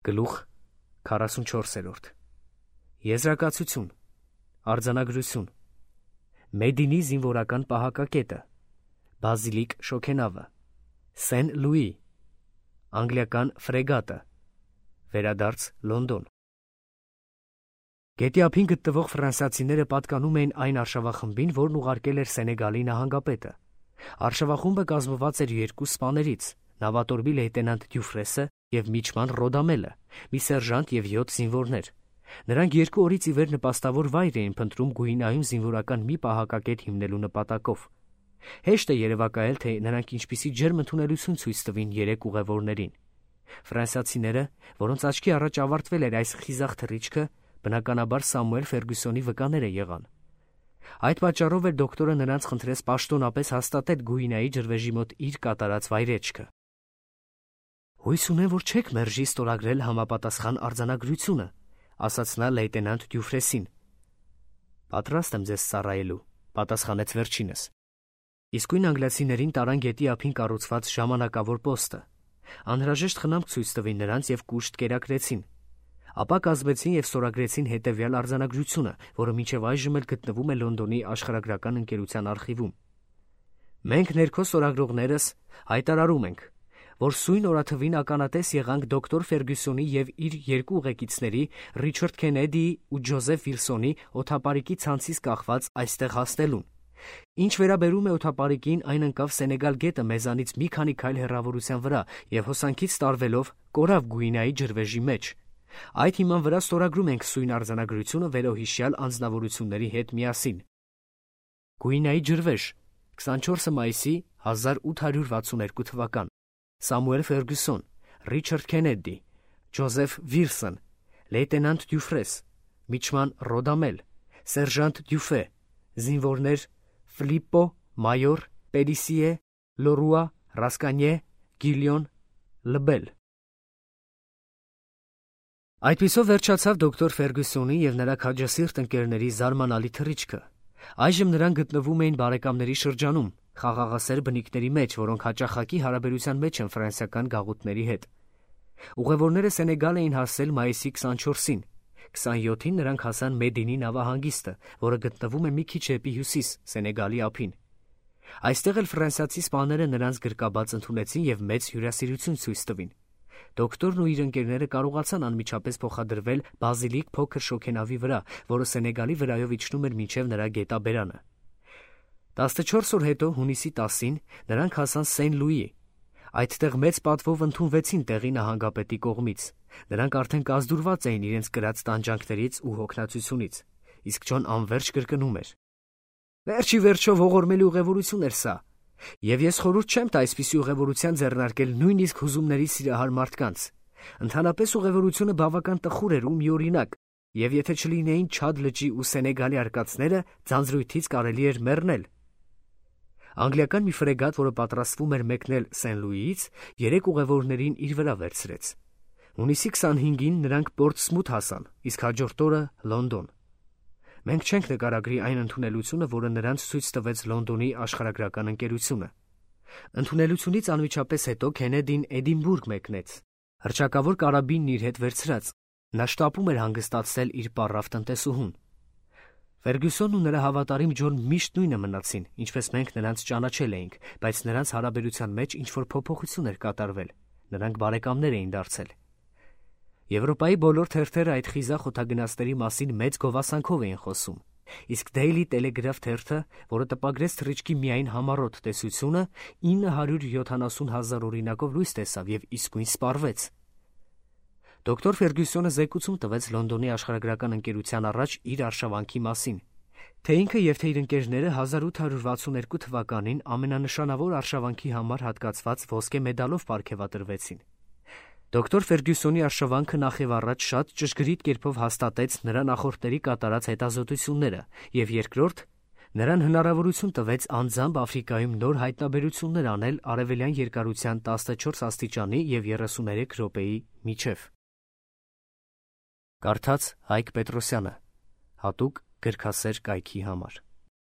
Գլուխ 44. Եզրակացություն, արձանագրություն, Մեդինի զինվորական պահակակետը, Բազիլիկ շոգենավը, Սեն Լուի, անգլիական ֆրեգատը, վերադարձ Լոնդոն։ Գետի ափին գտնվող ֆրանսիացիները պատկանում էին այն արշավախմբին, որն ուղարկել էր Սենեգալի նահանգապետը։ Արշավախումբը կազմված էր 2 սպաներից՝ նավատորմի լեյտենանտ Դյուֆրեսը և միջման Ռոդամելը, մի սերժանտ և 7 զինվորներ։ Նրանք 2 օրից ի վեր նպաստավոր վայր էին փնտրում Գուինայում զինվորական մի պահակակետ հիմնելու նպատակով։ Հեշտ է երևակայել, թե նրանք ինչպիսի ջերմ ընդունելություն ցույց տվին 3 ուղևորներին։ Ֆրանսիացիները, որոնց աչքի առաջ ավարտվել էր այս խիզախ թռիչքը, բնականաբար Սամուել Ֆերգյուսոնի վկաները եղան։ Այդ պատճառով էր դոկտորը նրանց խնդրեց պաշտոնապես հաստատել Գուինայի ջրվեժի մոտ իր կատարած վայրեջքը։ «Հույս ունեմ, որ չեք մերժի ստորագրել համապատասխան արձանագրությունը», ասաց նա լեյտենանտ Դյուֆրեսին։ «Պատրաստ եմ ձեզ ծառայելու», պատասխանեց վերջինս։ Իսկույն անգլիացիներին տարան գետի ափին կառուցված ժամանակավոր պոստը։ Անհրաժեշտ խնամք ցույց տվին նրանց և կուշտ կերակրեցին։ Ապա կազմեցին և ստորագրեցին հետևյալ արձանագրությունը, որը մինչև այժմ էլ գտնվում է Լոնդոնի աշխարհագրական ընկերության արխիվում։ «Մենք ներքո ստորագրողներս հայտարարում ենք, որ սույն օրաթվին ականատես եղանք դոկտոր Ֆերգյուսոնի և իր 2 ուղեկիցների՝ Ռիչարդ Քենեդիի ու Ջոզեֆ Վիլսոնի օդապարիկի ցանցից կախված այստեղ հասնելուն։ Ինչ վերաբերում է օդապարիկին, այն ընկավ Սենեգալ գետը մեզանից մի քանի քայլ հեռավորության վրա և հոսանքից տարվելով կորավ Գուինայի ջրվեժի մեջ։ Այդ հիման վրա ստորագրում ենք սույն արձանագրությունը վերոհիշյալ անձնավորությունների հետ միասին։ Գուինայի ջրվեժ, 24 մայիսի 1862 թվական։ Սամուել Ֆերգյուսոն, Ռիչարդ Քենեդի, Ջոզեֆ Վիլսոն, լեյտենանտ Դյուֆրես, միջման Ռոդամել, սերժանտ Դյուֆե, զինվորներ Ֆլիպպո, մայոր, Պերիսիե, Լորուա, Ռասկանյե, Գիլյոն, Լբել։ Այդպիսով վերջացավ դոկտոր Ֆերգյուսոնի և նրա քաջասիրտ ընկերների զարմանալի թռիչքը։ Այժմ նրանք գտնվում էին բարեկամների շրջանում, խաղաղասեր բնիկների մեջ, որոնք հաճախակի հարաբերության մեջ են ֆրանսիական գաղութների հետ։ Ուղևորները Սենեգալ էին հասել մայիսի 24-ին։ 27-ին նրանք հասան Մեդինի նավահանգիստը, որը գտնվում է մի քիչ դեպի հյուսիս Սենեգալի ափին։ Այստեղ էլ ֆրանսիացի սպաները նրանց գրկաբաց ընդունեցին և մեծ հյուրասիրություն ցույց տվին։ Դոկտորն ու իր ընկերները կարողացան անմիջապես փոխադրվել Բազիլիկ փոքր շոգենավի վրա, որը Սենեգալի վրայով իջնում էր մինչև նրա գետաբերանը։ 14 օր հետո, հունիսի 10-ին, նրանք հասան Սեն Լուի։ Այդտեղ մեծ պատվով ընդունվեցին տեղի նահանգապետի կողմից։ Նրանք արդեն կազդուրված էին իրենց կրած տանջանքներից ու հոգնածությունից, իսկ Ջոն անվերջ կրկնում էր. «Վերջի վերջով ողորմելի ուղևորություն էր սա, և ես խորհուրդ չեմ տա այսպիսի ուղևորության ձեռնարկել նույնիսկ հուզումների սիրահար մարդկանց։ Ընդհանրապես ուղևորությունը բավական տխուր էր ու միօրինակ, և եթե չլինեին Չադ լճի ու Սենեգալի արկածները, ձանձրույթից կարելի էր մեռնել»։ Անգլիական մի ֆրեգատ, որը պատրաստվում էր մեկնել Սեն Լուիից, 3 ուղևորներին իր վրա վերցրեց։ Հունիսի 25-ին նրանք Պորտսմութ հասան, իսկ հաջորդ օրը Լոնդոն։ Մենք չենք նկարագրի այն ընդունելությունը, որը նրանց ցույց տվեց Լոնդոնի աշխարհագրական ընկերությունը։ Ընդունելությունից անմիջապես հետո Քենեդին Էդինբուրգ մեկնեց, հռչակավոր կարաբինն իր հետ վերցրած։ Նա շտապում էր հանգստացնել իր պառավ տնտեսուհուն։ Ֆերգյուսոնն ու նրա հավատարիմ Ջոն միշտ նույնը մնացին, ինչպես մենք նրանց ճանաչել էինք, բայց նրանց հարաբերության մեջ ինչ-որ փոփոխություն էր կատարվել։ Նրանք բարեկամներ էին դարձել։ Եվրոպայի բոլոր թերթերը այդ խիզախ օդագնացների մասին մեծ գովասանքով էին խոսում, իսկ Daily Telegraph թերթը, որը տպագրեց թռիչքի միայն համառոտ տեսությունը, 970,000 օրինակով լույս տեսավ և իսկույն սպառվեց։ Դոկտոր Ֆերգյուսոնը զեկուցում տվեց Լոնդոնի աշխարհագրական ընկերության առաջ իր արշավանքի մասին, թե ինքը և թե իր ընկերները 1862 թվականին ամենանշանավոր արշավանքի համար հատկացված ոսկե մեդալով պարգևատրվեցին։ Դոկտոր Ֆերգյուսոնի արշավանքը նախևառաջ շատ ճշգրիտ կերպով հաստատեց նրա նախորդների կատարած հետազոտությունները, և երկրորդ, նրան հնարավորություն տվեց անձամբ Աֆրիկայում նոր հայտնաբերություններ անել արևելյան երկարության 14 աստիճանի և 33 րոպեի միջև։ Կարդաց Հայկ Պետրոսյանը, հատուկ գրքասեր կայքի համար։